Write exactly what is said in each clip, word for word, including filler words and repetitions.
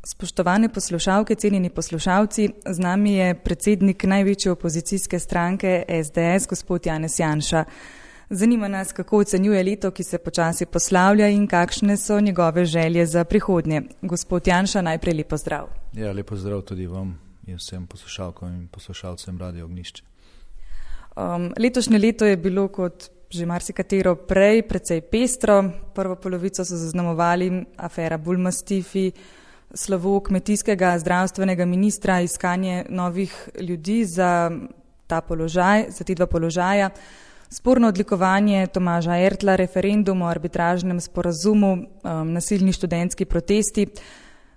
Spoštovane poslušalke, cenjeni poslušalci, z nami je predsednik največje opozicijske stranke es de es, gospod Janez Janša. Zanima nas, kako ocenjuje leto, ki se počasi poslavlja in kakšne so njegove želje za prihodnje. Gospod Janša, najprej lep pozdrav. Ja, lep pozdrav tudi vam in vsem poslušalkam in poslušalcem Radio Ognjišče. Um, letošnje leto je bilo kot že marsikatero prej precej pestro. Prvo polovico so zaznamovali afera Bulmastifi, slovo kmetijskega zdravstvenega ministra, iskanje novih ljudi za ta položaj, za ti dva položaja, sporno odlikovanje Tomaža Ertla, referendum o arbitražnem sporazumu, um, nasilni študentski protesti.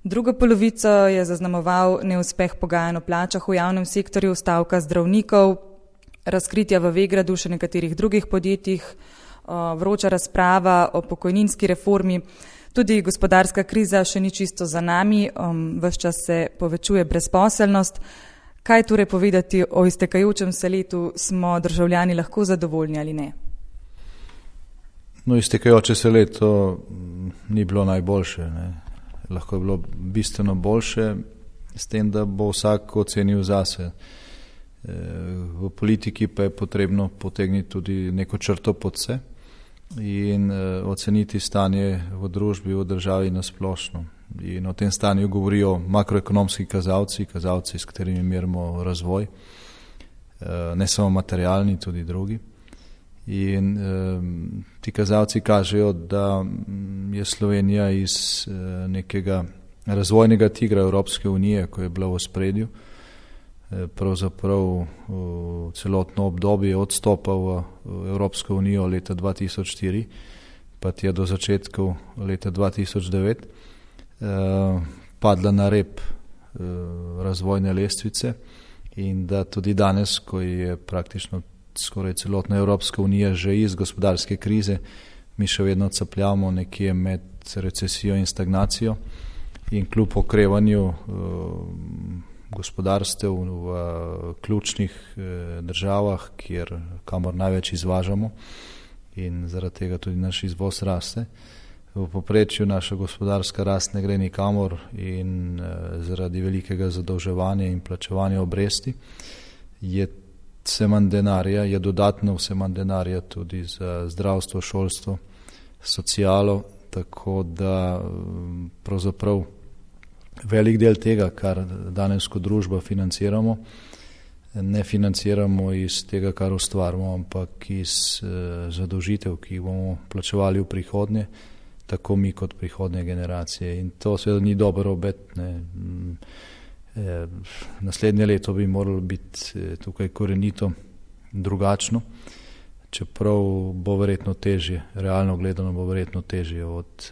Drugo polovico je zaznamoval neuspeh pogajanj o plačah v javnem sektorju, stavka zdravnikov, razkritja v Vegradu še nekaterih drugih podjetjih, vroča razprava o pokojninski reformi. Tudi gospodarska kriza še ni čisto za nami, ves čas se povečuje brezposelnost. Kaj torej povedati o iztekajočem se letu, smo državljani lahko zadovoljni ali ne? No, iztekajoče se leto ni bilo najboljše, ne. Lahko je bilo bistveno boljše, s tem, da bo vsak ocenil zase. V politiki pa je potrebno potegniti tudi neko črto pod se in oceniti stanje v družbi, v državi nasplošno. In o tem stanju govorijo makroekonomski kazalci, kazalci, s katerimi merimo razvoj, ne samo materialni, tudi drugi. In ti kazalci kažejo, da je Slovenija iz nekega razvojnega tigra Evropske unije, ko je bila v ospredju, pravzaprav v celotno obdobje odstopa v Evropsko unijo leta dva tisoč štiri, pa je do začetkov leta dva tisoč devet padla na rep razvojne lestvice in da tudi danes, ko je praktično skoraj celotna Evropska unija že iz gospodarske krize, mi še vedno capljamo nekje med recesijo in stagnacijo in kljub okrevanju gospodarstev v ključnih državah, kjer kamor največ izvažamo in zaradi tega tudi naš izvoz raste. V povprečju naša gospodarska rast ne gre nikamor in zaradi velikega zadolževanja in plačevanja obresti je vse manj denarja, je dodatno vse manj denarja tudi za zdravstvo, šolstvo, socialo, tako da pravzaprav velik del tega, kar danes kot družba financiramo, ne financiramo iz tega, kar ustvarimo, ampak iz zadolžitev, ki jih bomo plačevali v prihodnje, tako mi kot prihodnje generacije. In to seveda ni dobro obet. Ne. Naslednje leto bi moralo biti tukaj korenito drugačno, čeprav bo verjetno težje, realno gledano bo verjetno težje od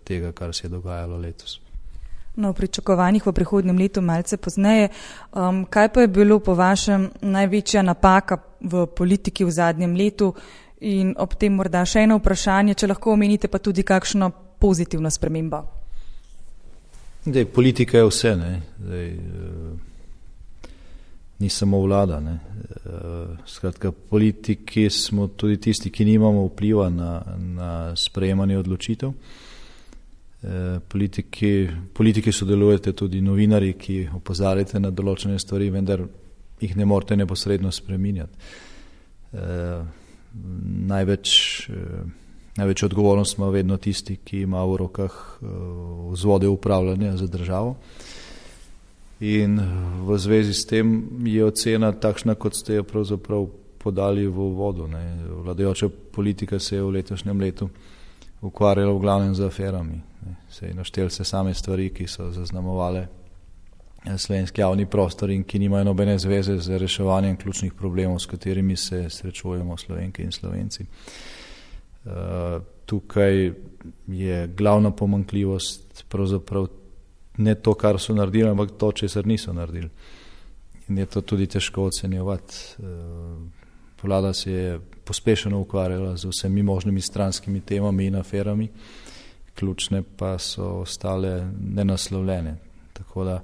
tega, kar se je dogajalo letos. No, v pričakovanjih v prihodnjem letu malce pozneje. Um, kaj pa je bilo po vašem največja napaka v politiki v zadnjem letu in ob tem morda še eno vprašanje, če lahko omenite pa tudi kakšno pozitivno spremembo? Dej, politika je vse, ne. Dej, ni samo vlada. Ne. Skratka, politiki smo tudi tisti, ki nimamo vpliva na, na sprejemanje odločitev. Politiki, politiki sodelujete tudi novinari, ki opozarjate na določene stvari, vendar jih ne morete neposredno spreminjati. E, največ, e, največ odgovornost ima vedno tisti, ki ima v rokah e, vzvode upravljanja za državo. In v zvezi s tem je ocena takšna, kot ste jo pravzaprav podali v uvodu. Ne. Vladajoča politika se je v letošnjem letu ukvarjala v glavnem z aferami. Se je naštel se same stvari, ki so zaznamovale slovenski javni prostor in ki nimajo nobene zveze z reševanjem ključnih problemov, s katerimi se srečujemo Slovenke in Slovenci. Uh, tukaj je glavna pomanjkljivost pravzaprav ne to, kar so naredili, ampak to, česar niso naredili. In je to tudi težko ocenjevati. Uh, vlada se je pospešeno ukvarjala z vsemi možnimi stranskimi temami in aferami, ključne pa so ostale nenaslovljene. Tako da